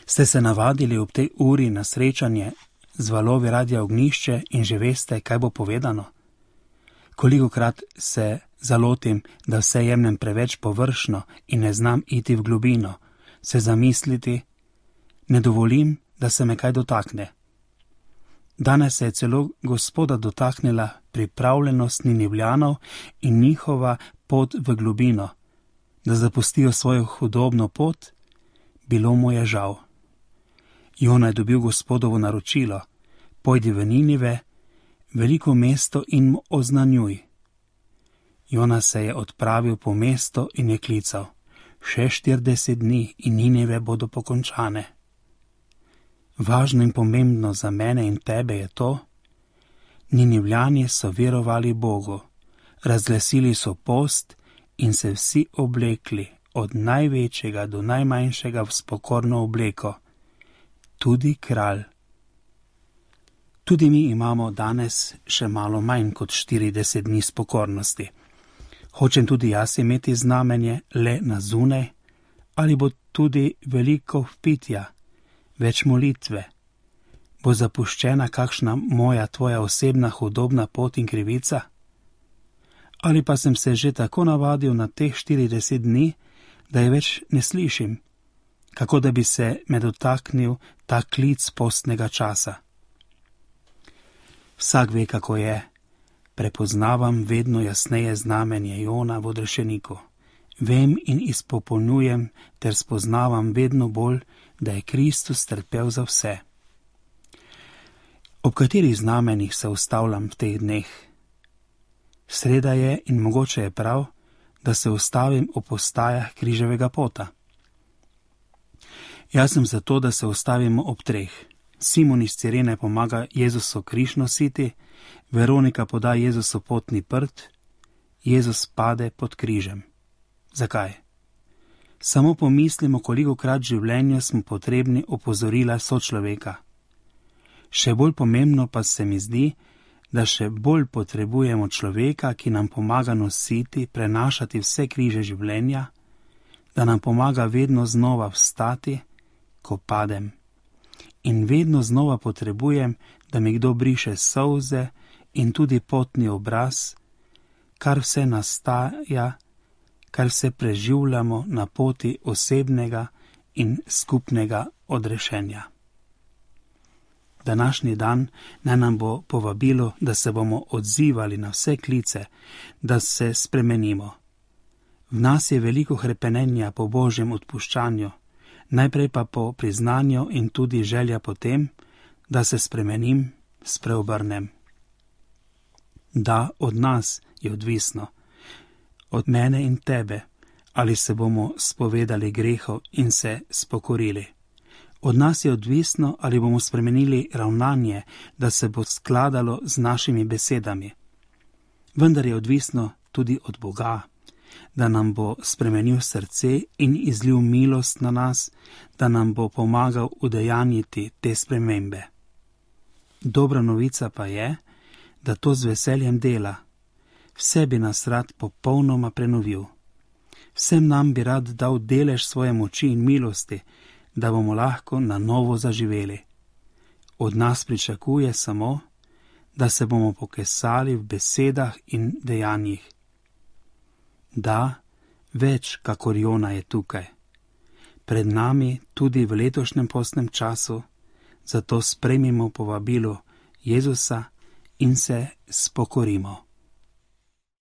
Ste se navadili ob tej uri na srečanje z valovi Radia Ognjišče in že veste, kaj bo povedano? Kolikokrat se zalotim, da vse jemljem preveč površno in ne znam iti v globino, se zamisliti, ne dovolim, da se me kaj dotakne. Danes se je celo Gospoda dotaknila pripravljenost Ninivljanov in njihova pot v globino, da zapustijo svojo hudobno pot, bilo mu je žal. Jona je dobil Gospodovo naročilo, pojdi v Ninive, veliko mesto in mu oznanjuj. Jona se je odpravil po mesto in je klical, še 40 dni in Ninive bodo pokončane. Važno in pomembno za mene in tebe je to, Ninivljani so verovali Bogu, razglasili so post in se vsi oblekli, od največjega do najmanjšega v spokorno obleko, tudi kralj. Tudi mi imamo danes še malo manj kot 40 dni spokornosti. Hočem tudi jaz imeti znamenje le na zunaj, ali bo tudi veliko vpitja, več molitve? Bo zapuščena kakšna moja tvoja osebna hudobna pot in krivica? Ali pa sem se že tako navadil na teh 40 dni, da je več ne slišim, kako da bi se me dotaknil ta klic postnega časa? Vsak ve, kako je. Prepoznavam vedno jasneje znamenje Jona v odrešeniku. Vem in izpopolnjujem ter spoznavam vedno bolj, da je Kristus trpel za vse. Ob katerih znamenjih se ustavljam v teh dneh? Sreda je in mogoče je prav, da se ustavim ob postajah križevega pota. Jaz sem zato, da se ustavimo ob 3. Simon iz Cirene pomaga Jezusu križ nositi, Veronika poda Jezusu potni prt, Jezus pade pod križem. Zakaj? Samo pomislimo, kolikokrat v življenju smo potrebni opozorila sočloveka. Še bolj pomembno pa se mi zdi, da še bolj potrebujemo človeka, ki nam pomaga nositi, prenašati vse križe življenja, da nam pomaga vedno znova vstati, ko padem. In vedno znova potrebujem, da mi kdo briše solze in tudi potni obraz, kar vse nastaja, kar vse preživljamo na poti osebnega in skupnega odrešenja. Današnji dan naj nam bo povabilo, da se bomo odzivali na vse klice, da se spremenimo. V nas je veliko hrepenenja po Božjem odpuščanju, najprej pa po priznanju in tudi želja po tem, da se spremenim, spreobrnem. Da, od nas je odvisno, od mene in tebe, ali se bomo spovedali grehu in se spokorili. Od nas je odvisno, ali bomo spremenili ravnanje, da se bo skladalo z našimi besedami. Vendar je odvisno tudi od Boga, da nam bo spremenil srce in izlil milost na nas, da nam bo pomagal udejanjiti te spremembe. Dobra novica pa je, da to z veseljem dela. Vse bi nas rad popolnoma prenovil. Vsem nam bi rad dal delež svoje moči in milosti, da bomo lahko na novo zaživeli. Od nas pričakuje samo, da se bomo pokesali v besedah in dejanjih. Da, več kakor Jona je tukaj. Pred nami tudi v letošnjem postnem času, zato sprejmimo povabilo Jezusa in se spokorimo.